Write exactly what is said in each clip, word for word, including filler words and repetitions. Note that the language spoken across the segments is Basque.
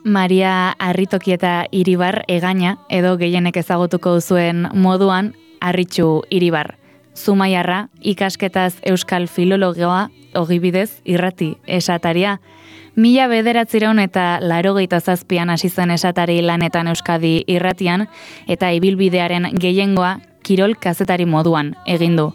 Maria Arritokieta Iribar Egaña, edo gehienek ezagutuko duzuen moduan Arritxu Iribar. Zumaiarra, ikasketaz euskal filologoa, ogibidez irrati esataria. Mila bederatzireun eta laurogeita zazpian hasi zen esatari lanetan Euskadi irratian, eta ibilbidearen gehiengoa kirol kazetari moduan egin du.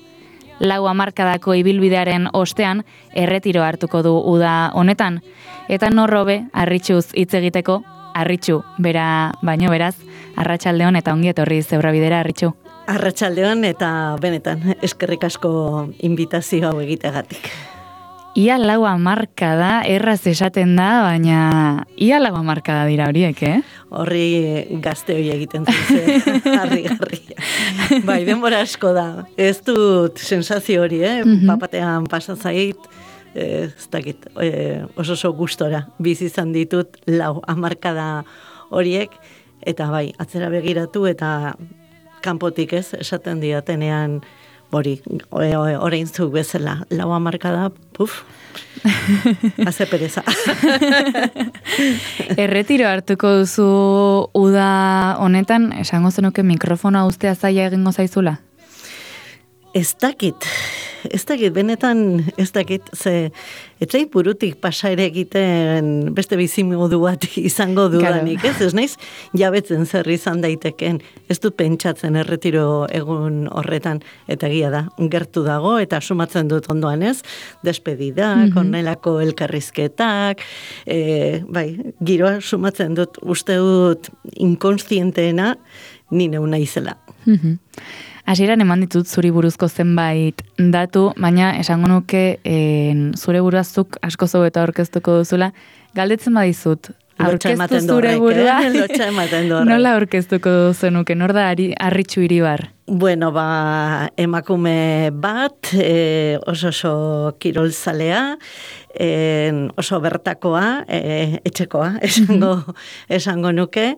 Lau hamarkadako ibilbidearen ostean erretiro hartuko du uda honetan, eta norrobe Arritxuz hitz egiteko, Arritxu, bera baino beraz, arratsaldeon eta ongi etorri Zebrabidera, Arritxu. Arratsaldeon eta benetan eskerrik asko inbitazio hau egiteagatik. Ia lau hamarkada erraz esaten da, baina ia lau hamarkada dira horiek, eh? Horri gazte hori egiten zuzen, harri-garria. Bai, denbora asko da. Ez dut sensazio hori, eh? Mm-hmm. Papatean pasazait, eh, ez dakit, eh, oso oso gustora bizi izan ditut lau hamarkada horiek, eta bai, atzera begiratu eta kanpotik ez, esaten diatenean hori, orain zuk bezala, lau hamarkada, puf, haze pereza. Erretiro hartuko duzu uda honetan, esango zenuke mikrofonoa ustea zaila egingo zaizula? Ez dakit, ez dakit, benetan ez dakit, ze etzai burutik pasa ere egiten beste bizimodu bat izango dudanik, ez? Ez naiz jabetzen zer izan daiteken, ez dut pentsatzen erretiro egun horretan, eta egia da, gertu dago, eta sumatzen dut ondoan ez, despedidak, mm-hmm. onelako elkarrizketak, e, bai, giroa sumatzen dut, uste dut inkonstienteena nine una izela. Mm-hmm. Hasieran eman ditut zuri buruzko zenbait datu, baina esango nuke en, zure buruazuk asko zau eta aurkeztuko duzula. Galdetzen badizut, aurkeztu zure burua, eh? nola aurkeztuko duzunuke, nor da Arritxu Iribar? Bueno, ba, emakume bat, e, oso oso kirolzalea, e, oso bertakoa, e, etxekoa, esango, esango nuke,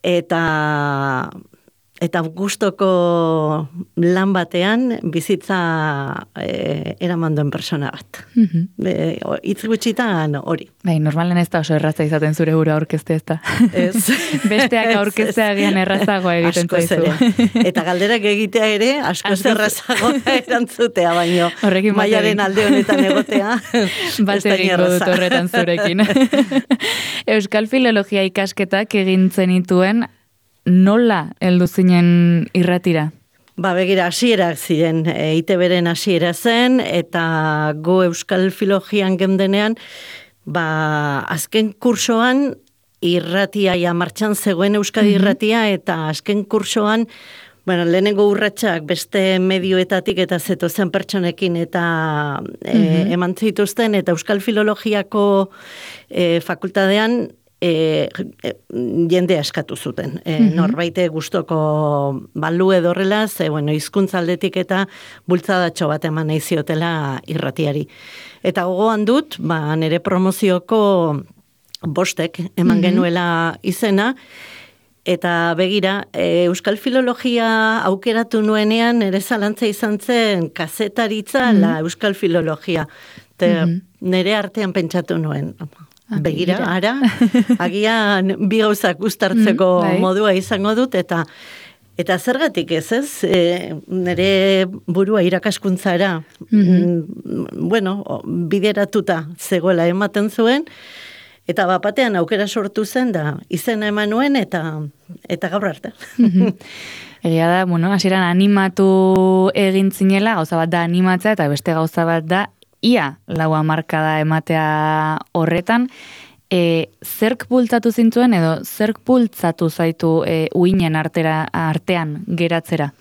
eta... Eta gustoko lan batean bizitza e, eraman duen persona bat. Mm-hmm. Itz gutxitan hori. Bai, normalen ez da oso erraza izaten zure burua aurkezte ez da. Ez. Besteak aurkeztea gian errazagoa egiten zaizu. Eta galderak egitea ere, asko errazagoa erantzutea, baino. Horrekin maiaren alde honetan egotea. Bat egingo dut horretan zurekin. Euskal Filologia ikasketak egin zenituen, nola heldu zinen irratira? Ba, begira, hasierak ziren, E I T B-ren hasiera zen, eta go Euskal Filologian gendenean, ba, azken kursoan irratia, ja, martxan zegoen Euskadi mm-hmm. irratia, eta azken kursoan, bueno, lehenengo urratsak beste medioetatik eta zetozen pertsonekin eta mm-hmm. e, eman zituzten, eta Euskal Filologiako e, fakultadean, E, e, jendea eskatu zuten. E, mm-hmm. Norbaite gustoko balu edorrela, ze, bueno, hizkuntza aldetik eta bultzadatxo bat eman nahi ziotela irratiari. Eta gogoan dut, ba, nire promozioko bostek eman mm-hmm. genuela izena, eta begira, e, Euskal Filologia aukeratu nuenean, nire zalantza izan zen kazetaritza mm-hmm. la Euskal Filologia. Te, mm-hmm. Nire artean pentsatu nuen. Begira, ara, agian bi gauzak uztartzeko mm, modua izango dut, eta eta zergatik ez, ez? E, nire burua irakaskuntzara, mm-hmm. bueno, bideratuta zegoela ematen zuen, eta bapatean aukera sortu zen da, izena eman nuen, eta, eta gaur arte. Mm-hmm. Egia da, bueno, hasieran animatu egin zinela, gauza bat da animatzea, eta beste gauza bat da, ia lau hamarkada ematea horretan, e, zerk bultzatu zintuen edo zerk bultzatu zaitu e, uinen artera, artean geratzera?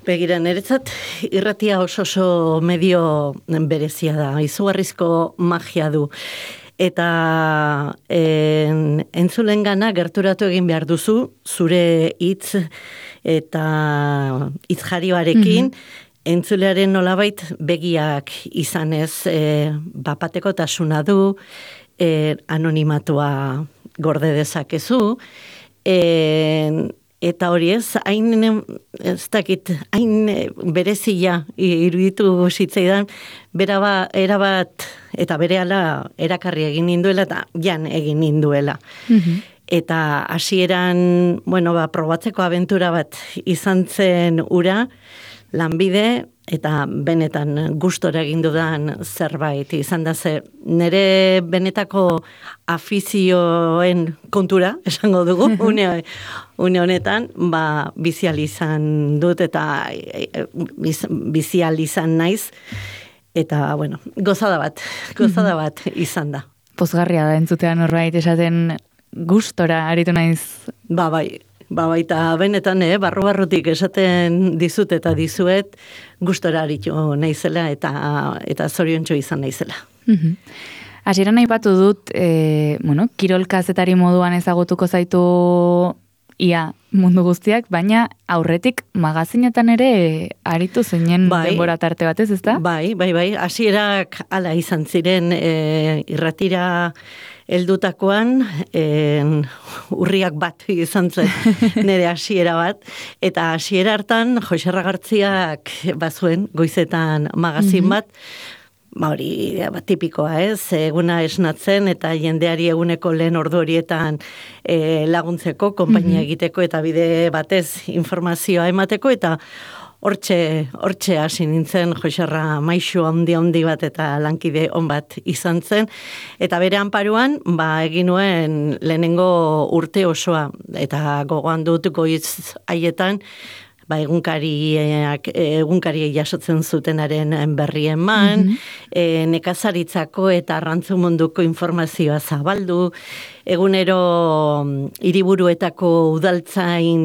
Begira, niretzat irratia oso oso medio berezia da, izugarrizko magia du. Eta en, entzulen gana gerturatu egin behar duzu, zure hitz eta hitz jarioarekin, mm-hmm. entzulearen nolabait begiak izanez, e, bapateko tasuna du, e, anonimatua gorde dezakezu, e, eta hori ez, hain, ez dakit, hain berezia iruditu zitzaidan, bera ba, erabat, eta berehala erakarri egin ninduela, eta jan egin ninduela. Mm-hmm. Eta hasieran, bueno, ba, probatzeko abentura bat izan zen ura, lanbide, eta benetan gustora egin dudan zerbait izan da ze nire benetako afizioen kontura, esango dugu, une, une honetan, ba, bizial izan dut eta biz, bizial izan naiz, eta, bueno, gozada bat, gozada bat izan da. Pozgarria da entzutean norbait esaten gustora aritu naiz. Ba, bai. Ba, baita benetan, eh, barru-barrutik esaten dizut eta dizuet gustora aritu naizela eta eta zoriontsu izan naizela. Mhm. Hasieran aipatu dut, e, bueno, kirol kazetari moduan ezagutuko zaitu ia mundu guztiak, baina aurretik magazinetan ere aritu zeinen bai, denbora tarte batez, ezta? Bai, bai, bai. Hasierak hala izan ziren e, irratira heldutakoan, en, urriak bat izan zen nire hasiera bat, eta hasiera hartan Jose Ragartziak bazuen goizetan magazin bat, ba hori ba, tipikoa ez, eguna esnatzen eta jendeari eguneko lehen ordu horietan e, laguntzeko, konpainia egiteko eta bide batez informazioa emateko, eta Hortxe, hortxe hasi nintzen, Joserra maixu handi handi bat eta lankide on bat izan zen, eta bere anparuan, ba, egin nuen lehenengo urte osoa, eta gogoan dut goiz haietan, ba, egunkariak, egunkariei jasotzen zutenaren berri eman, mm-hmm. e, nekazaritzako eta arrantzu munduko informazioa zabaldu, egunero hiriburuetako udaltzain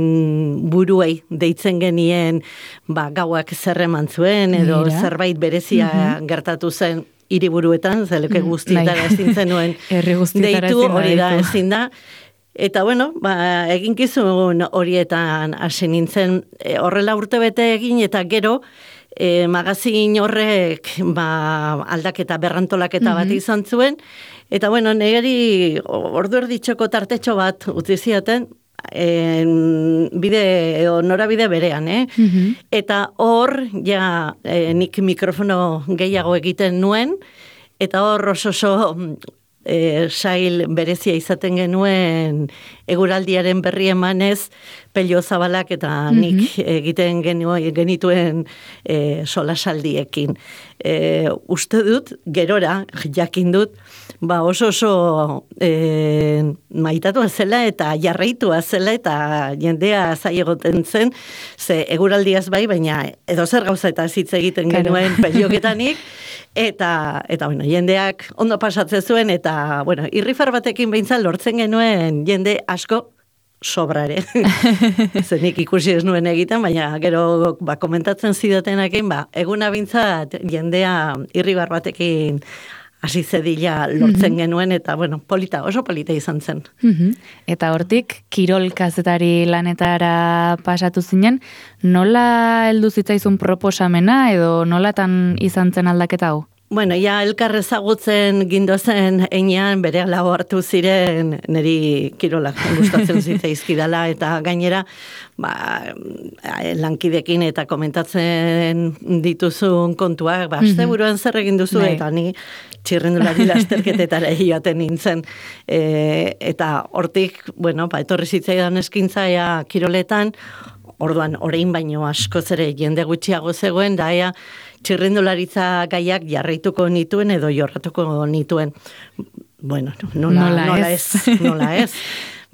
buruei deitzen genien ba, gauak zerreman zuen, edo Mira. zerbait berezia mm-hmm. gertatu zen hiriburuetan, zeleke guztietara ezin zenuen deitu, hori da ezin da. Eta bueno, ba, eginkizun horietan hasi nintzen, e, horrela urtebete egin eta gero e, magazin horrek ba, aldaketa berrantolaketa mm-hmm. bat izan zuen, eta bueno, niri ordu erditxoko tartetxo bat utzi ziaten, en, bide, edo norabide berean, eh? Mm-hmm. Eta hor, ja, e, nik mikrofono gehiago egiten nuen, eta hor oso oso E, sail berezia izaten genuen eguraldiaren berri emanez Pello Zabalak eta mm-hmm. nik egiten genuen, genituen e, solasaldiekin. E, uste dut, gerora, jakin dut, ba oso oso e, maitatua zela eta jarraitua zela eta jendea zai egoten zen, ze eguraldiaz bai, baina edo zer gauza eta hitz egiten genuen Pelloketanik, eta, eta bueno, jendeak ondo pasatzen zuen, eta bueno, irrifar batekin behintzat lortzen genuen jende asko sobrare. Zenik ikusi ez nuen egiten, baina gero ba, komentatzen zidatenakin, ba, eguna bintzat jendea irribar batekin hasi zedila lortzen mm-hmm. genuen, eta bueno, polita, oso polita izan zen. Mm-hmm. Eta hortik, kirol kazetari lanetara pasatu zinen, nola heldu zitzaizun proposamena, edo nolatan izan zen aldaketa hau? Bueno, ja, elkar ezagutzen gindozen einean bere lau hartu ziren niri kirolak gustatzen zitzaizkidala, eta gainera ba, lankidekin eta komentatzen dituzun kontuak, ba, aste buruan zer egin duzu, mm-hmm. eta ni txirrendulari lasterketetara joaten nintzen. E, eta hortik, bueno, ba, etorri zitzaidan eskintzaia kiroletan, orduan orain baino askoz ere jende gutxiago zegoen, da ea txirrendularitza gaiak jarraituko nituen edo jorratuko nituen. Bueno, nola, nola, nola ez, nola ez.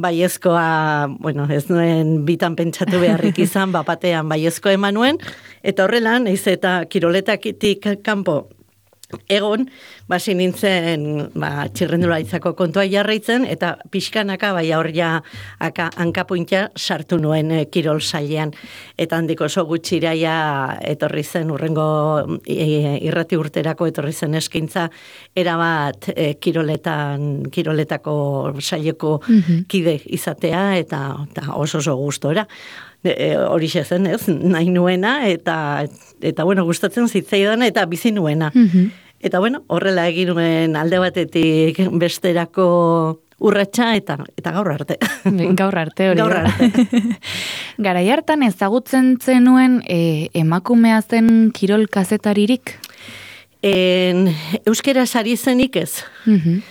Baiezkoa, bueno, ez nuen bitan pentsatu beharrik izan, bapatean baiezko eman nuen, eta horrela, naiz eta kiroletakitik kanpo egon, basi nintzen ba, txirrendularitzako kontua jarraitzen, eta pixkanaka bai hor ja aka, hankapuintia sartu nuen e, kirol sailean. Eta handik oso gutxiraia etorri zen, urrengo e, irrati urterako etorri zen eskaintza, erabat e, kiroletan, kiroletako saileko mm-hmm. kide izatea, eta, eta oso oso gustora. E, hori zen, ez, nahi nuena, eta, eta bueno, gustatzen zitzaidan, eta bizi nuena. Mm-hmm. Eta bueno, horrela egin nuen alde batetik besterako urratsa eta eta gaur arte. Gaur arte hori. Gaur arte. Garai hartan ezagutzen zenuen e, emakumea zen kirol kazetaririk? En, euskera sari zenik ez. Mhm.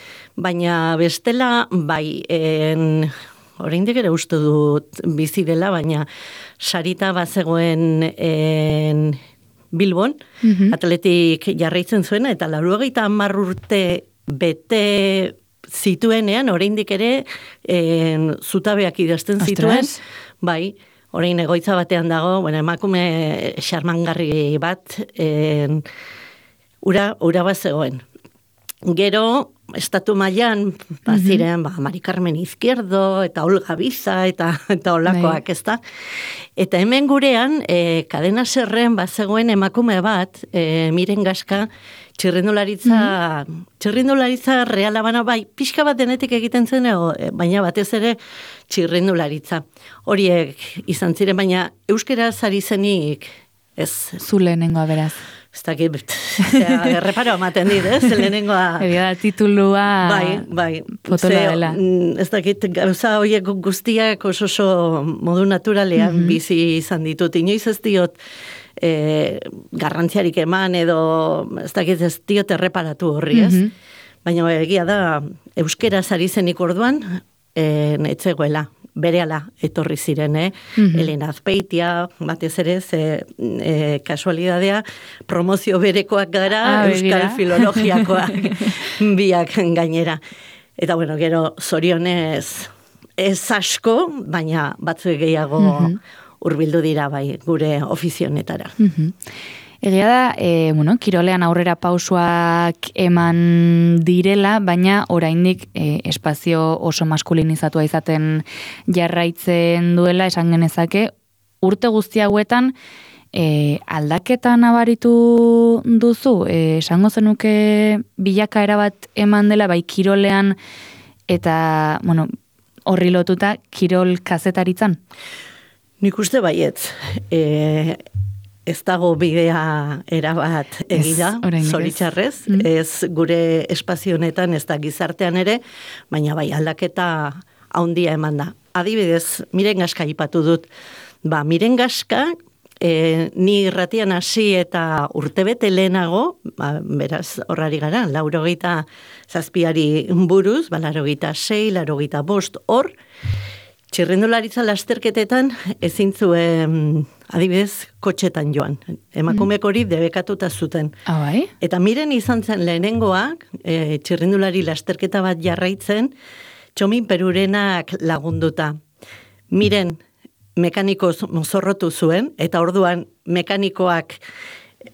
Baina bestela, bai, en, oraindik ere uste dut bizi dela, baina sarita bazegoen en, Bilbon, Mhm. atletik jarraitzen zuena, eta laurogeita hamar urte bete zituenean, oraindik ere en, zutabeak idazten zituen. Ostras. Bai, orain egoitza batean dago, bueno, emakume xarmangarri bat, en, ura, ura bat zegoen. Gero, estatu mailan baziren, ba, Mari Carmen Izquierdo, eta Olga Biza, eta, eta olakoak, ez da? Eta hemen gurean, e, kadena zerren bazegoen emakume bat, e, Miren Gaska, txirrindularitza, mm-hmm. txirrindularitza reala bana, bai, pixka bat denetik egiten zen, ego, baina batez ere txirrindularitza. Horiek izan ziren, baina euskera zari zenik, ez. Zu lehenengoa beraz. Ez dakit, erreparo amaten dit, ez, lehenengoa. Egia da, titulua bai, bai. potola dela. Ez dakit, gauza horiek guztiak oso oso modu naturalean mm-hmm. bizi izan ditut. Inoiz ez diot e, garrantziarik eman edo, ez dakit ez diot erreparatu horri, ez? Mm-hmm. Baina egia da, euskera zari zenik orduan, e, netzegoela. Berehala etorri ziren, eh? Mm-hmm. Elena Azpeitia, batez ere, ze e, kasualidadea, promozio berekoak gara, ah, euskal filologiakoak biak gainera. Eta bueno, gero zorionez ez asko, baina batzuek gehiago mm-hmm. hurbildu dira bai gure ofizionetara. Mm-hmm. Egia da, e, bueno, kirolean aurrera pausoak eman direla, baina oraindik e, espazio oso maskulinizatua izaten jarraitzen duela, esan genezake, urte guzti hauetan e, aldaketa nabaritu duzu, e, esango zenuke bilakaera bat eman dela, bai kirolean eta, bueno, horri lotuta kirol kazetaritzan? Nik uste baietz, e, ez dago bidea erabat egida, zoritxarrez, mm. ez gure espazio honetan, ez da gizartean ere, baina bai aldaketa haundia eman da. Adibidez, Miren Gaska ipatu dut, ba, Miren Gaska, e, ni irratian hasi eta urtebete lehenago, ba, beraz horrari gara, laurogeita zazpiari buruz, ba, laurogeita sei, laurogeita bost, hor, txirrindularitza lasterketetan ezin zuen, adibidez, kotxetan joan. Emakumeek hori debekatuta zuten. Ah, bai? Eta Miren izan zen lehenengoak, e, txirrindulari lasterketa bat jarraitzen, Txomin Perurenak lagunduta. Miren mekaniko mozorrotu zuen, eta orduan mekanikoak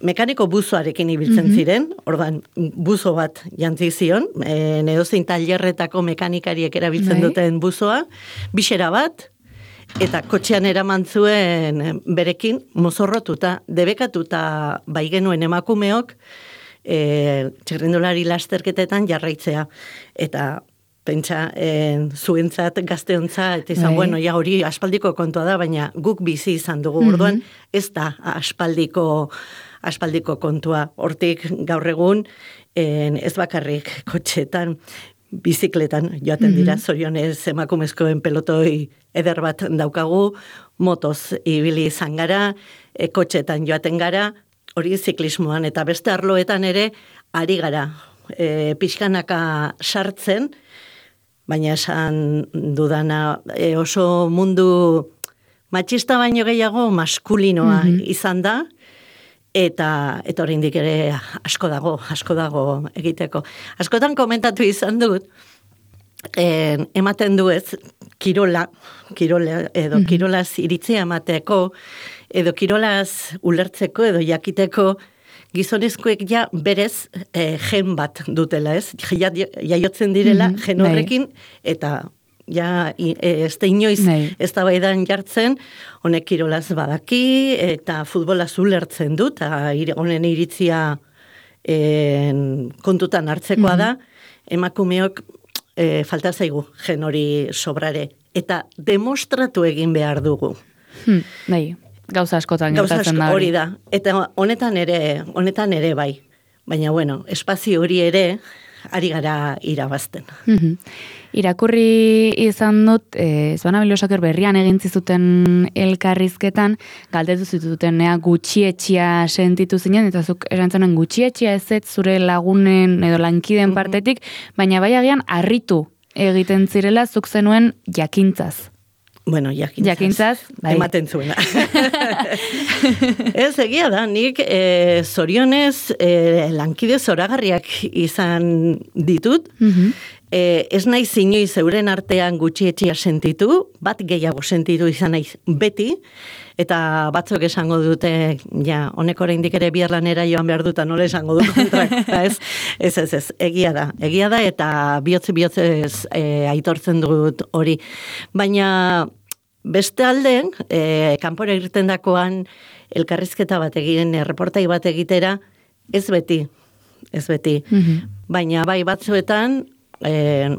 mekaniko buzoarekin ibiltzen mm-hmm. ziren, ordan buzo bat jantzi zion, e, edozein tailerretako mekanikariek erabiltzen Bai. Duten buzoa, bisera bat, eta kotxean eraman zuen berekin mozorrotuta, debekatuta bai genuen emakumeok, e, txirrindulari lasterketetan jarraitzea. Eta pentsa, en, zuentzat, gazteontzat, eta izan, bueno, ja hori aspaldiko kontua da, baina guk bizi izan dugu, mm-hmm. orduan, ez da aspaldiko aspaldiko kontua. Hortik gaur egun, en, ez bakarrik kotxetan, bizikletan joaten dira, mm-hmm. zorionez emakumezkoen pelotoi eder bat daukagu, motoz ibili izan gara, e, kotxetan joaten gara, hori ziklismoan, eta beste arloetan ere, ari gara, e, pixkanaka sartzen, baina esan dudana e, oso mundu matxista baino gehiago maskulinoa mm-hmm. izan da, eta eta oraindik ere asko dago, asko dago egiteko. Askotan komentatu izan dut, en, ematen du ez, kirola, kirola edo mm-hmm. kirolaz iritzia emateko, edo kirolaz ulertzeko, edo jakiteko, gizonezkoek ja berez e, gen bat dutela, ez? Ja, jaiotzen direla mm-hmm. gen horrekin, eta ja ez da inoiz ez da baidan jartzen, honek kirolaz badaki, eta futbolaz ulertzen dut, eta honen iritzia en, kontutan hartzekoa mm-hmm. da, emakumeok e, falta zaigu gen hori sobrare, eta demostratu egin behar dugu. Hmm, bai. Gauza askotan gertatzen da hori da. Eta honetan ere, honetan ere bai. Baina bueno, espazio hori ere ari gara irabazten. Mm-hmm. Irakurri izan dut, e, Zoana Bilosaker berrian egin zizuten elkarrizketan, galdetu zitutenea gutxietxia sentitu zinen, eta zuk esan zenuen gutxietxia ez ez zure lagunen edo lankiden partetik, baina bai agian harritu egiten zirela zuk zenuen jakintzaz. Bueno, jakintzaz. Jakintzaz, bai. Ematen zuena. Ez, egia da, nik e, zorionez e, lankide zoragarriak izan ditut, mm-hmm. e, ez naiz inoiz euren artean gutxietxia sentitu, bat gehiago sentitu izan naiz beti, eta batzuk esango dute, ja, honek oraindik ere bihar lanera joan behar duta, nola esango du kontrak, ez, ez, ez, ez, egia da, egia da, eta bihotze bihotzez e, aitortzen dut hori. Baina beste alden, e, kanpora irten dakoan, elkarrizketa bat egin, reportai bat egitera, ez beti, ez beti. Mm-hmm. Baina bai batzuetan, e,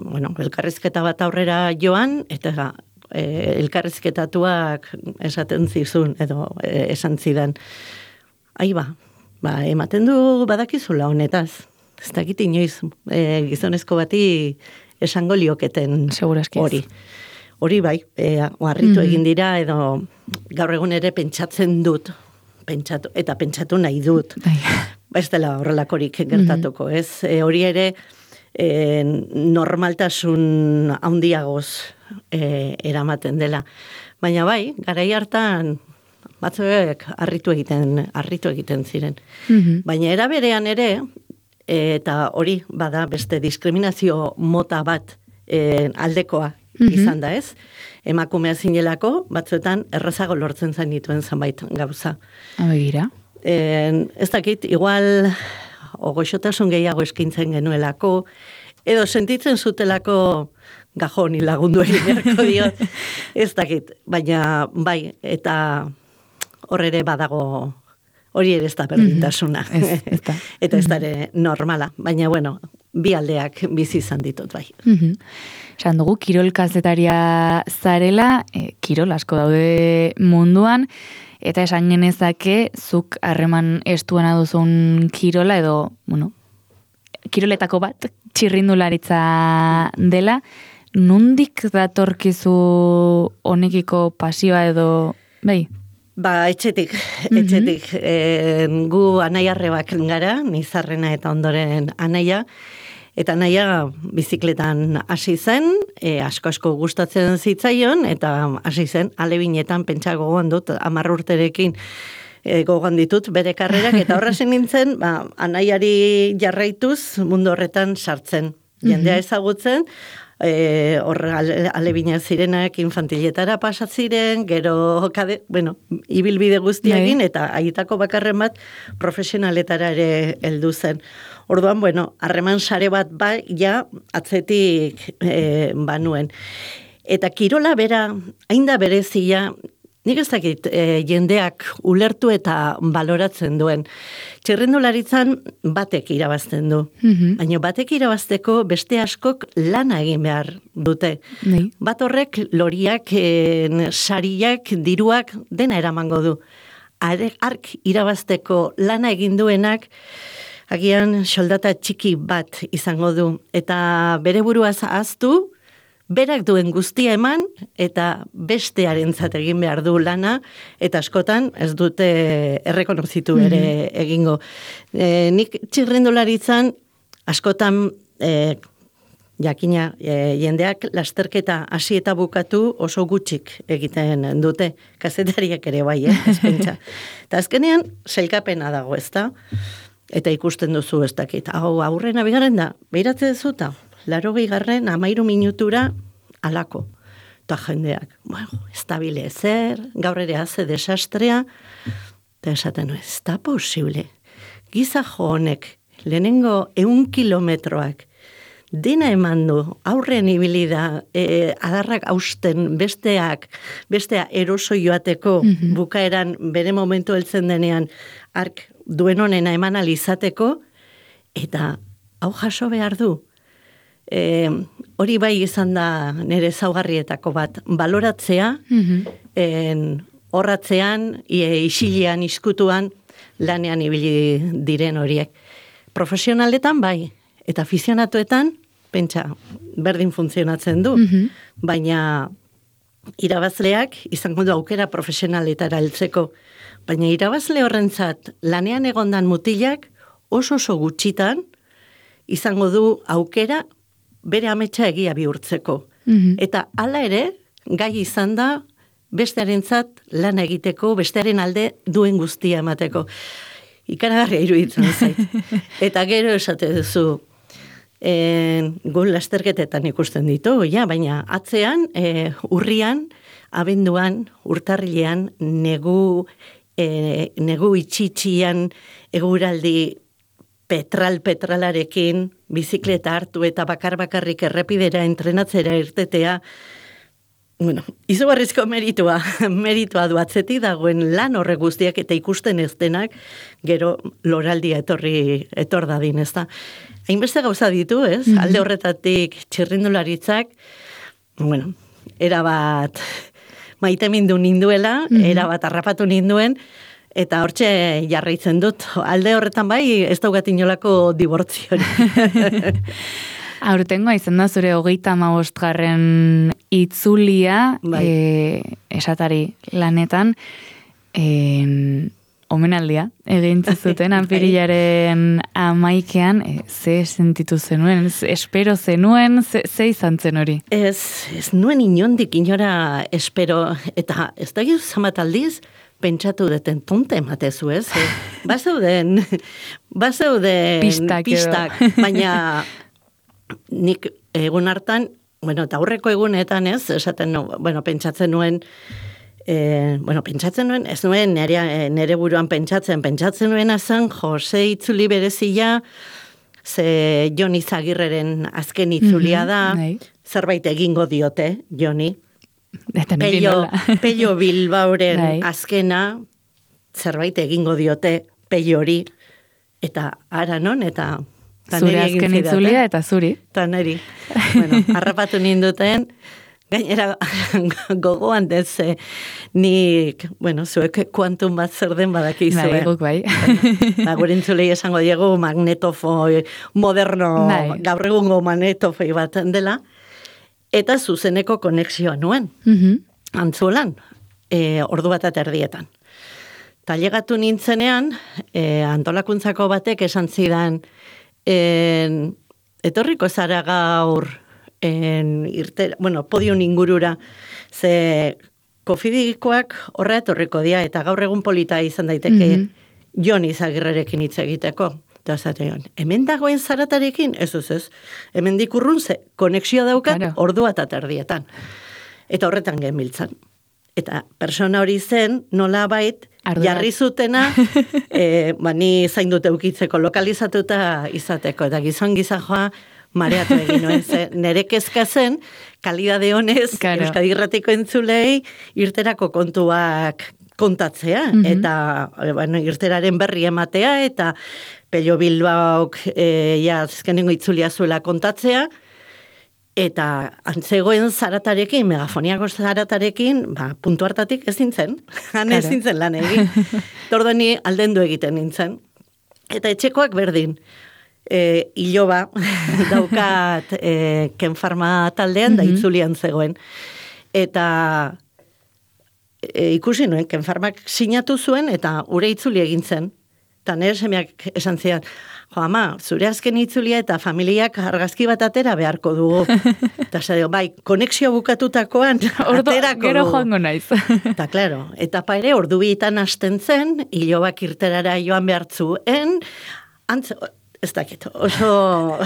bueno, elkarrizketa bat aurrera joan, eta e, elkarrizketatuak esaten zizun, edo e, esan zidan. Ai ba, ba, ematen du badakizula honetaz. Ez dakit inoiz, e, gizonezko bati esango lioketen hori. Hori bai, e, harritu mm-hmm. egin dira, edo gaur egun ere pentsatzen dut, pentsatu, eta pentsatu nahi dut. Ba ez dela horrelakorik gertatuko, mm-hmm. ez? E, hori ere e, normaltasun handiagoz e, eramaten dela. Baina bai, garai hartan batzuek harritu egiten, harritu egiten ziren. Mm-hmm. Baina era berean ere, eta hori bada beste diskriminazio mota bat e, aldekoa, Mm-hmm. izan da ez, emakumea zinelako, batzuetan errazago lortzen zain dituen zanbait gauza. Abegira. E, ez dakit, igual ogoxotasun gehiago eskintzen genuelako, edo sentitzen zutelako gajoni lagundu egin beharko diot, ez dakit, baina bai, eta hor ere badago, hori ere ez da berdintasuna, mm-hmm. ez, ez eta ez da ere normala, baina bueno, bi aldeak bizi izan ditut bai. Mm-hmm. Esan dugu, kirol kazetaria zarela, e, kirol asko daude munduan, eta esan genezake, zuk harreman estuena duzun kirola, edo, bueno, kiroletako bat, txirrindularitza dela, nondik datorkizu honekiko pasioa edo, bai? Ba, etxetik, etxetik. Mm-hmm. e, gu anaiarrebak gara, nizarrena eta ondoren anaia, eta anaia bizikletan hasi zen, e, asko-asko gustatzen zitzaion, eta hasi zen, alebinetan pentsa gogoan dut, hamar urterekin e, gogoan ditut bere karrerak, eta horra zen nintzen, ba, anaiari jarraituz mundu horretan sartzen. Jendea ezagutzen, E, hor alebina zirenak infantiletara pasatziren, gero kade, bueno, ibilbide guztiagin, eta aietako bakarren bat profesionaletara ere heldu zen. Orduan, bueno, harreman sare bat bai, ja, atzetik e, banuen. Eta kirola bera, hain da berezia, nik ez dakit e, jendeak ulertu eta baloratzen duen. Txirrindularitzan batek irabazten du. Mm-hmm. Baina batek irabazteko beste askok lana egin behar dute. Nee. Bat horrek loriak, e, sariak, diruak dena eramango du. Ark irabazteko lana egin duenak, agian soldata txiki bat izango du. Eta bere buruaz ahaztu, berak duen guztia eman, eta bestearentzat egin behar du lana, eta askotan ez dute errekonozitu ere mm-hmm. egingo. E, nik txirrindularitzan askotan e, jakina e, jendeak lasterketa hasi eta bukatu oso gutxik egiten dute. Kazetariak ere bai, eh, ezpentsa. Eta azkenean, sailkapena dago, ezta? Eta ikusten duzu ez dakit. Hau, aurrena bigarren da, behiratze dezuta. Laro garren amairu minutura alako. Eta jendeak, bueno, ez da bile ezer, gaur ere haze desastrea, eta esaten, ez da posible. Giza jo honek, lehenengo eun kilometroak, dena eman du, aurren ibilida, e, adarrak hausten, besteak, bestea eroso joateko, mm-hmm. bukaeran bere momentu heltzen denean, ark duen honena eman alizateko, eta hau jaso behar du. E, hori bai izan da nire zaugarrietako bat, baloratzea, mm-hmm. en, horratzean, e, isilean, iskutuan, lanean ibili diren horiek. Profesionaletan bai, eta afizionatuetan pentsa, berdin funtzionatzen du, Mhm. baina irabazleak izango du aukera profesionaletara heltzeko, baina irabazle horrentzat lanean egondan mutilak oso oso gutxitan izango du aukera bere ametsa egia bihurtzeko. Mhm. Eta hala ere, gai izan da bestearentzat lan egiteko, bestearen alde duen guztia emateko. Ikaragarria iruditzen zait. Eta gero esate duzu, e, gu lasterketetan ikusten ditu, ja, baina atzean, e, urrian, abenduan, urtarrilean, negu, e, negu itxitxian, eguraldi petral-petralarekin, bizikleta hartu eta bakar-bakarrik errepidera entrenatzera irtetea, bueno, izugarrizko meritua, meritua du atzetik dagoen lan horre guztiak eta ikusten ez denak, gero loraldia etorri, etor dadin, ez da. Hainbeste gauza ditu, ez? Mm-hmm. Alde horretatik txirrindularitzak, bueno, erabat maite mindu ninduela, mm-hmm. erabat harrapatu ninduen, eta hortxe jarraitzen dut. Alde horretan bai, ez daugat inolako dibortziori. Aurtengoa izan da zure hogeita hamabostgarren itzulia, Bai. e, esatari lanetan, e, omenaldia egin zuten anpirilaren amaikean, e, ze sentitu zenuen, ze espero zenuen, ze, ze izan zen hori? Ez, ez nuen inondik inora espero, eta ez da gizu zamat aldiz, pentsatu deten tonte ematezu, ez? E, bazeuden, bazeuden Pistak edo. pistak, baina nik egun hartan, bueno, eta aurreko egunetan ez, esaten, no, bueno, pentsatzen nuen, e, bueno, pentsatzen nuen, ez nuen nere, nere buruan pentsatzen, pentsatzen nuen azan, Jose itzuli berezia, ze Joni Zagirreren azken itzulia da, Mm-hmm, zerbait egingo diote, Joni. Eta niri Pello, nola. Pello Bilbaoren Bai. azkena, zerbait egingo diote, Pello hori, eta ara non, eta ta Zure niri egin azken zidaten. itzulia eta zuri. Eta niri, bueno, harrapatu ninduten, gainera gogoan dez, nik, bueno, zuek kuantum bat zer den badakizue. Bai, guk bai. Ba, gure entzulei esango diegu magnetofoi moderno, Bai. gaur egungo magnetofoi bat dela, eta zuzeneko konexioa nuen, Mhm. antzulan, e, ordu bat eta erdietan. Tailegatu nintzenean, e, antolakuntzako batek esan zidan, en, etorriko zara gaur, en, irte, bueno, podium ingurura, ze kofidikoak horra etorriko dia, eta gaur egun polita izan daiteke Mhm. Joni Zagirrerekin hitz egiteko. Eta zatean, hemen dagoen zaratarekin, ez ez ez, hemen dikurrun ze, konexioa daukat, Claro. ordua eta terdietan. Eta horretan genbiltzan. Eta persona hori zen, nola bait, Ardurak. jarri zutena, e, ba, ni zaindut eukitzeko lokalizatuta izateko, eta gizon gizajoa mareatu egin nuen, ze nere kezka zen, kalidade honez, Claro. Euskadi Irratiko entzulei, irterako kontuak kontatzea, Mhm. eta e, bueno, irteraren berri ematea, eta Pello Bilbaok e, ja, azkenengo itzulia zuela kontatzea, eta antzegoen zaratarekin, megafoniako zaratarekin, ba, puntu hartatik ezin zen, han Claro. ezin zen lan egin. Tordo ni aldendu egiten nintzen. Eta etxekoak berdin, e, iloba, daukat e, kenfarma taldean, da Mhm. itzulian zegoen. Eta e, ikusi nuen, kenfarmak sinatu zuen, eta ure itzuli egin zen. Eta nire semeak esan zidan, jo, ama, zure azken itzulia eta familiak argazki bat atera beharko dugu. Eta zailo, bai, konexio bukatutakoan Ordo, aterako gero dugu. joango naiz. Eta, klaro, etapa ere, ordu bietan hasten zen, hilobak irterara joan behartzuen, antz, ez dakit, oso...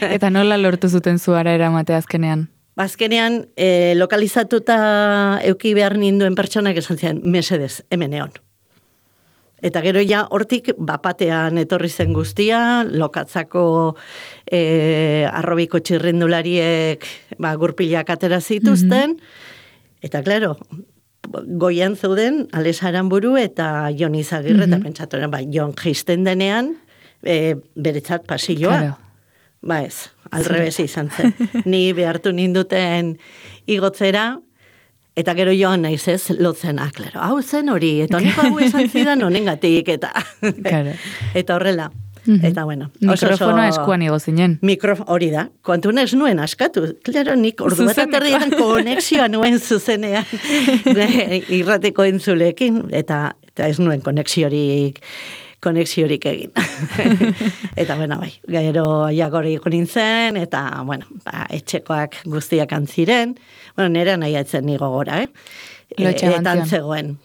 Eta nola lortu zuten zuara eramatea azkenean? Bazkenean, e, lokalizatuta euki behar ninduen pertsonak esan zian, mesedez, hemen egon. Eta gero ja, hortik, bapatean etorri zen guztia, lokatzako e, arrobiko txirrindulariek ba, gurpilak atera zituzten, eta klaro, goian zeuden, Ales Aranburu eta Jon Izagirre, eta pentsatu, ba, Jon jisten denean, e, beretzat pasilloa. Claro. Ba ez, alrebez izan zen. Ni behartu ninduten igotzera, eta gero joan naiz ez, lotzen, ah, klaro, hau zen hori, eta honeko hau esan zidan honengatik, eta Claro. eta horrela. Mhm. Eta bueno. Mikrofonoa eskuan igo zinen. Mikrofon, hori da. Kontun ez nuen askatu. Klaro, nik ordu bat aterdian konexioa nuen zuzenean irrateko entzulekin. Eta, eta ez nuen konexiorik konexiorik egin. Eta, bueno, bai, gero jagori nintzen, eta, bueno, ba, etxekoak guztiak antziren. Bueno, nera nahi atzen nigo gora, eh? Eta antzegoen.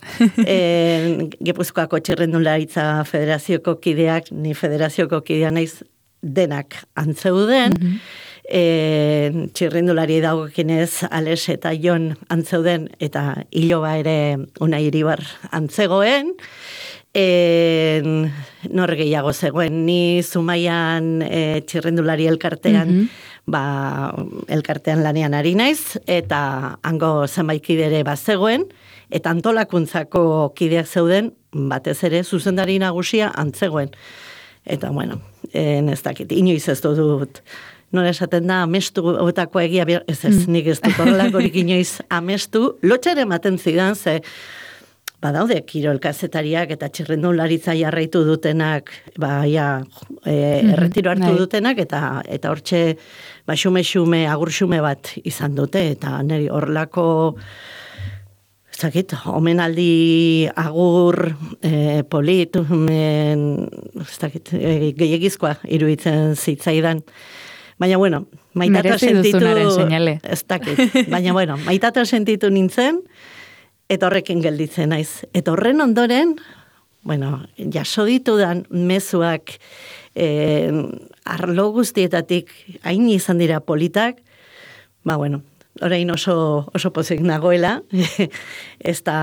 E, Gipuzkoako Txirrindularitza Federazioko kideak, ni federazioko kidea naiz denak antzeuden, mm-hmm. e, txirrindulari dagokinez Ales eta Jon antzeuden, eta Iloba ere Unai Iribar antzegoen, e, nor gehiago zegoen, ni Zumaian e, txirrindulari elkartean, mm-hmm. ba, elkartean lanean ari naiz, eta hango zenbait kidere bazegoen, eta antolakuntzako kideak zeuden, batez ere zuzendari nagusia antzegoen. Eta, bueno, en ez dakit, inoiz ez dut, nola esaten da, amestu otako egia, ez ez, nik ez dut horrelakorik inoiz amestu, lotxare ematen zidan, ze, badaude kirolkazetariak eta txirrindularitza jarraitu dutenak, ba, ja, e, erretiro hartu mm-hmm. dutenak, eta eta hortxe, ba, xume-xume, agur-xume bat izan dute, eta niri horlako, ez dakit, omenaldi agur, e, polit, men, ez dakit, e, gehiagizkoa iruditzen zitzaidan. Baina, bueno, maitata sentitu, ez dakit, baina, bueno, maitata sentitu nintzen, eta horrekin gelditzen naiz. Eta horren ondoren, bueno, jaso ditudan mezuak eh, arlo guztietatik hain izan dira politak, ba, bueno, orain oso, oso pozik nagoela, ez da,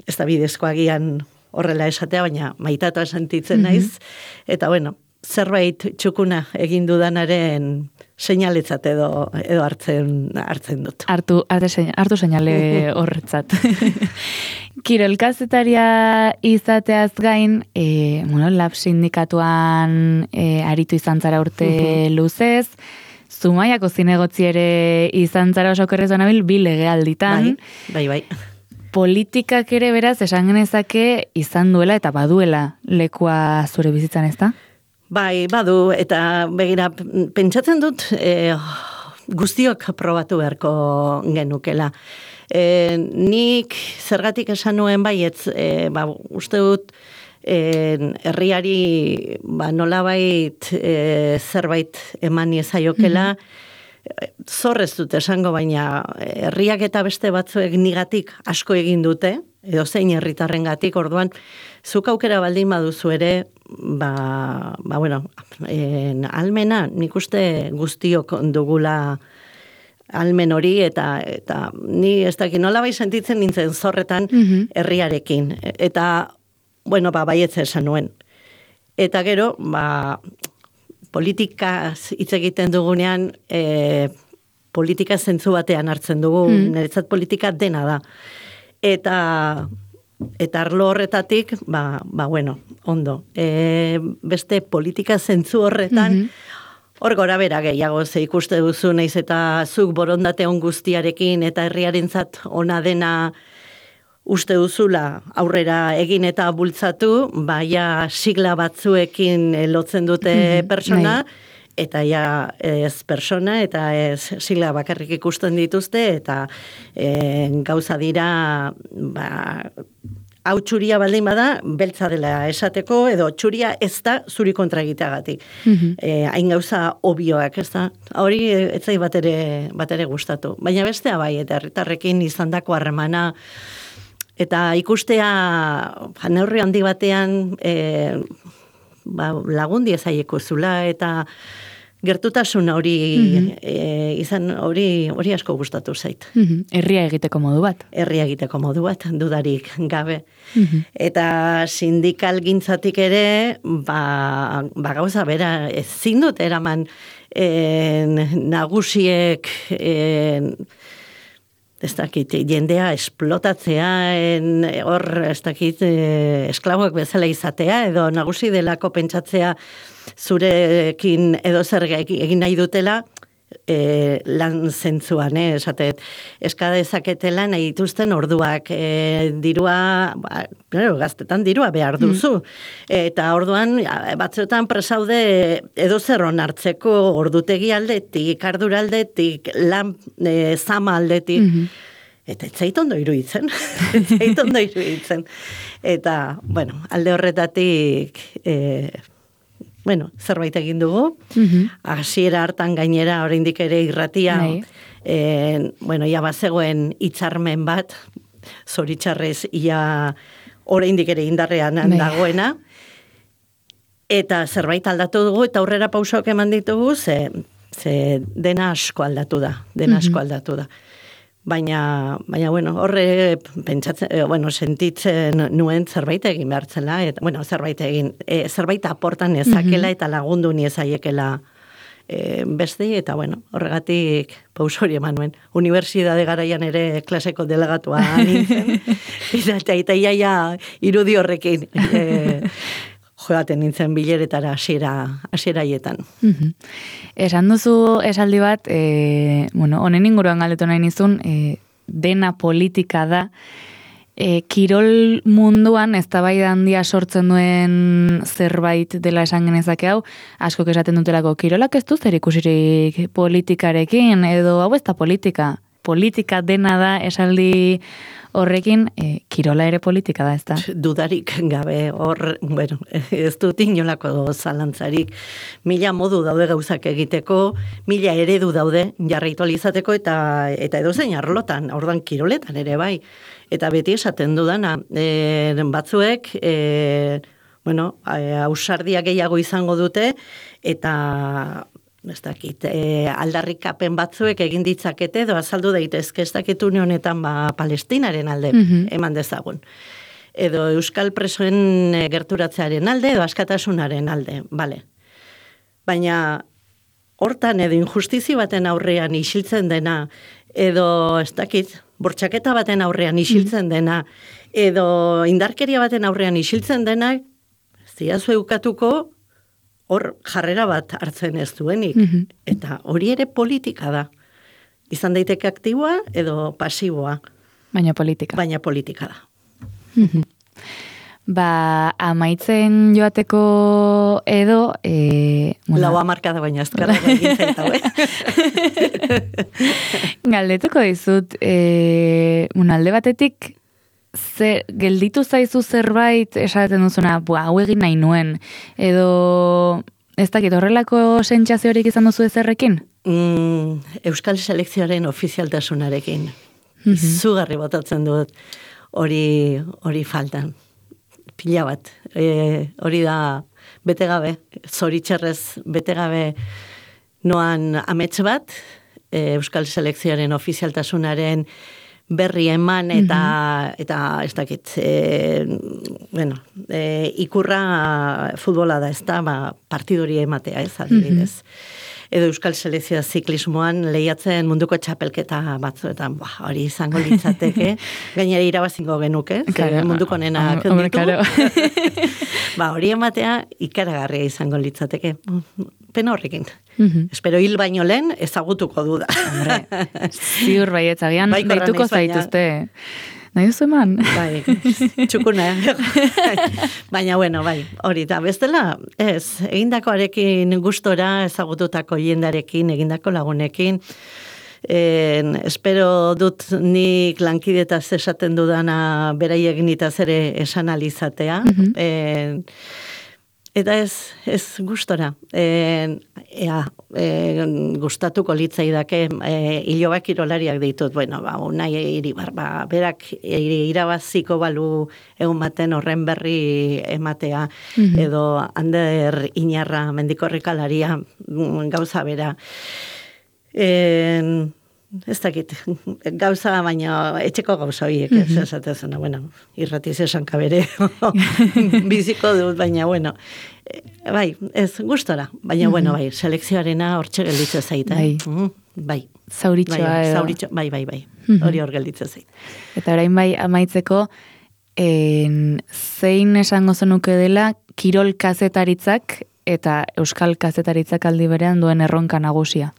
ez da bidezkoa gian horrela esatea, baina maitata sentitzen naiz, eta, bueno, zerbait txukuna egin dudanaren seinaletzat edo, edo hartzen, hartzen dut. Hartu, hartu seinale horretzat. Kirolkazetaria izateaz gain, e, bueno, lab sindikatuan e, aritu izan zara urte uh-huh. luzez, Zumaiako zinegotzi ere izan zara oso okerrez banabil, bi legealditan. Bai, bai, bai. Politikak ere beraz, esan genezake izan duela eta baduela lekua zure bizitzan, ez da? Bai, badu, eta begira, pentsatzen dut e, guztiok probatu beharko genukela. E, nik zergatik esan nuen baietz, e, ba, uste dut, e, herriari ba, nolabait e, zerbait eman iezaiokela, mm-hmm. zorrez dut esango, baina herriak eta beste batzuek nigatik asko egin dute, edo zein herritarrengatik, orduan, zuk aukera baldin baduzu ere, ba, ba bueno, en, almena, nik uste guztiok dugula almen hori, eta, eta ni ez dakit nola bai sentitzen nintzen zorretan mm-hmm. herriarekin. Eta, bueno, ba, baietze esan nuen. Eta gero, ba, politikaz hitz egiten dugunean, e, politika zentzu batean hartzen dugu, mm. niretzat politika dena da. Eta eta arlo horretatik, ba, ba bueno, ondo. E, beste politika zentzu horretan, mm-hmm. hor gora bera gehiago ze ikuste duzu naiz eta zuk borondate on guztiarekin eta herriarentzat ona dena uste duzula aurrera egin eta bultzatu, baia sigla batzuekin lotzen dute mm-hmm. persona, eta ja ez persona, eta ez sigla bakarrik ikusten dituzte, eta e, gauza dira, ba, hau txuria baldin bada, beltza dela esateko, edo txuria ez da zuri kontra egiteagatik. Mm-hmm. E, hain gauza obioak, ez da? Hori ez zai bat ere, bat ere gustatu. Baina bestea bai, eta herritarrekin izandako harremana, eta ikustea neurri handi batean e, ba, lagundi ezaieko zula, eta gertutasun hori mm-hmm. e, izan hori hori asko gustatu zait. Mm-hmm. Herria egiteko modu bat. Herria egiteko modu bat, dudarik gabe. Mm-hmm. Eta sindikal gintzatik ere, ba, ba gauza bera, ezin dut eraman en, nagusiek en, ez dakit, jendea esplotatzea, en, hor, ez dakit, eh, esklaboak bezala izatea, edo nagusi delako pentsatzea zurekin edo zer egin nahi dutela, e, lan zentzuan, eh, esatet, eskada ezaketela nahi dituzten orduak, e, dirua, ba, claro, gaztetan dirua behar duzu, mm. eta orduan, batzuetan presaude edo zer onartzeko ordutegi aldetik, ardura aldetik, lan e, zama aldetik, mm-hmm. Eta ez zait ondo iruditzen, ez zait ondo iruditzen. Eta, bueno, alde horretatik, e, bueno, zerbait egin dugu, hasiera mm-hmm. hartan gainera, oraindik ere irratia, e, bueno, ia bazegoen hitzarmen bat, zoritxarrez, ia oraindik ere indarrean dagoena, eta zerbait aldatu dugu, eta aurrera pausoak eman ditugu, ze, ze dena asko aldatu da, dena asko mm-hmm. aldatu da. Baina, baina, bueno, horre pentsatzen, bueno, sentitzen nuen zerbait egin behartzela, eta, bueno, zerbait egin, e, zerbait aportan ezakela eta lagundu niezaiekela e, beste, eta, bueno, horregatik pauso hori eman nuen. Unibertsitate garaian ere klaseko delegatua nintzen, eta eta iaia irudi horrekin e, joaten nintzen bileretara hasiera hasieraietan. Mm-hmm. Esan duzu esaldi bat, e, bueno, honen inguruan galdetu nahi nizun, e, dena politika da, e, kirol munduan eztabaida handia sortzen duen zerbait dela esan genezake hau, askok esaten dutelako, kirolak ez du zer ikusirik politikarekin, edo hau ez da politika, politika dena da esaldi horrekin, e, kirola ere politika da, ez da? Dudarik gabe, hor, bueno, ez dut inolako zalantzarik, mila modu daude gauzak egiteko, mila eredu daude jarraitu alizateko, eta, eta edozein arlotan, orduan kiroletan ere bai, eta beti esaten dudana, e, batzuek, e, bueno, ausardia gehiago izango dute, eta ez dakit, e, aldarrikapen batzuek egin ditzakete, edo azaldu daitezke, ez dakit une honetan ba, Palestinaren alde mm-hmm. eman dezagun. Edo Euskal presoen gerturatzearen alde, edo askatasunaren alde, bale. Baina hortan edo injustizi baten aurrean isiltzen dena, edo ez dakit, bortxaketa baten aurrean isiltzen dena, edo indarkeria baten aurrean isiltzen dena, ziazu eukatuko, hor jarrera bat hartzen ez duenik. Mm-hmm. Eta hori ere politika da. Izan daiteke aktiboa edo pasiboa. Baina politika. Baina politika da. Mm-hmm. Ba, amaitzen joateko edo... E, bueno. Lau amarka da baina azkarra egin zaitau, eh? Galdetuko dizut, e, un alde batetik, Zer, gelditu zaizu zerbait esaten duzuna, bua, hau egin nahi nuen, edo ez dakit horrelako sentsaziorik izan duzu ezerrekin? Mm, Euskal selekzioaren ofizialtasunarekin. Mm-hmm. Izugarri botatzen dut hori hori faltan. Pila bat. E, hori da bete gabe, zoritxarrez bete gabe noan amets bat, e, Euskal selekzioaren ofizialtasunaren berri eman eta, mm-hmm. eta ez dakit, e, bueno, e, ikurra futbola da, ez da, ba, partidori ematea, ez, adibidez. Mm-hmm. Edo Euskal Selekzioa ziklismoan lehiatzen munduko txapelketa batzuetan, ba, hori izango litzateke, gainera irabazingo genuke, claro, munduko nenak ditu. Claro. Ba, hori ematea ikaragarria izango litzateke. Pena horrekin. Mm-hmm. Espero hil baino lehen ezagutuko duda. Hombre, ziur baietz, agian bai, deituko zaituzte. Nahi duzu eman? Bai, txukuna. Baina, bueno, bai, hori da. Bestela, ez, egindakoarekin gustora, ezagututako jendarekin, egindako lagunekin, en, espero dut nik lankidetaz esaten dudana beraiek nitaz ere esan alizatea. Mm-hmm. En, Eta ez, ez gustora, e, ea, e, gustatuko litzaidake, e, ilobak irolariak ditut, bueno, ba, unai Iribar, ba, berak irabaziko balu egun baten horren berri ematea, mm-hmm. edo Ander Inarra mendikorrikalaria gauza bera. E, ez dakit, gauza, baina etxeko gauza horiek, mm-hmm. esatezena, bueno, irratiz esan kabere, biziko dut, baina, bueno, bai, ez gustora, baina, mm-hmm. bueno, bai, selekzioarena hortxe gelditze zaita. Bai. Mm, bai. Zauritxoa bai, edo. Zauritxo, bai, bai, bai, mm-hmm. hori hor gelditze zait. Eta orain bai, amaitzeko, en, zein esango zenuke dela, kirol kazetaritzak eta euskal kazetaritzak aldi berean duen erronka nagusia?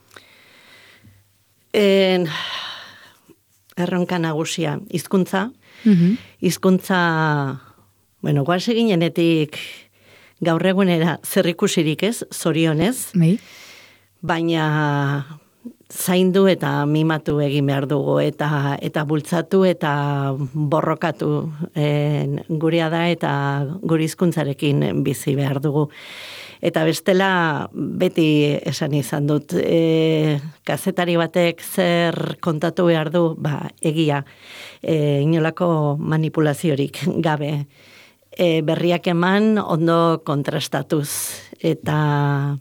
En, erronka nagusia, hizkuntza, Mhm. hizkuntza, bueno, guaz eginenetik gaur egunera zerrikusirik ez, zorionez, Bai. baina zaindu eta mimatu egin behar dugu, eta eta bultzatu eta borrokatu en, gurea da eta gure hizkuntzarekin bizi behar dugu. Eta bestela beti esan izan dut, e, kazetari batek zer kontatu behar du, ba, egia, e, inolako manipulaziorik gabe. E, berriak eman ondo kontrastatuz, eta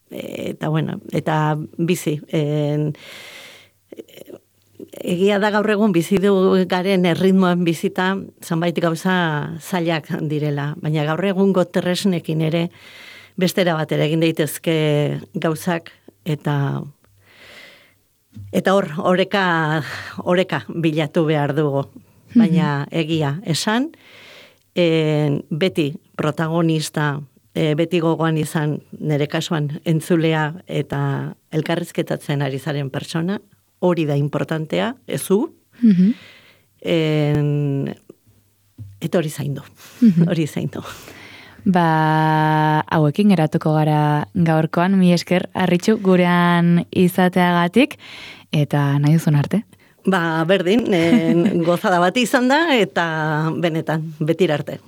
eta bueno, eta bizi. En, egia da gaur egun bizi du garen erritmoan bizita, zanbait gauza zailak direla, baina gaur egungo tresnekin ere bestera batera egin daitezke gauzak, eta eta hor, oreka, oreka bilatu behar dugu, baina egia esan, en, beti protagonista, e, beti gogoan izan nire kasuan entzulea eta elkarrizketatzen ari zaren pertsona, hori da importantea, ezu, Mhm. en, eta hori zaindu, hori zaindu. Ba, hauekin geratuko gara gaurkoan, mi esker, Arritxu, gurean izateagatik, eta nahi duzun arte. Ba, berdin, en, gozada bat izan da, eta benetan, betira arte.